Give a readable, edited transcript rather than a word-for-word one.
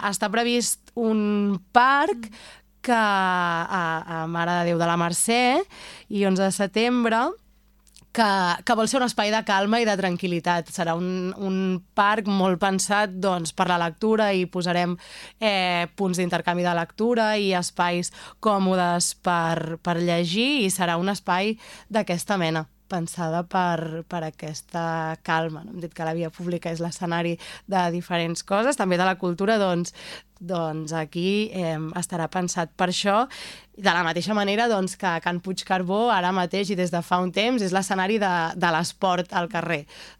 Està previst un parc que a Mare de Déu de la Mercè i 11 de setembre que vol ser un espai de calma i de tranquil·litat. Serà un parc molt pensat per la lectura i posarem punts d'intercanvi de lectura i espais còmodes per llegir i serà un espai d'aquesta mena, pensada per aquesta calma. Hem dit que la via pública és l'escenari de diferents coses, també de la cultura, doncs aquí estarà pensat per això, de la mateixa manera que Can Puigcarbó ara mateix i des de fa un temps és l'escenari de l'esport al carrer.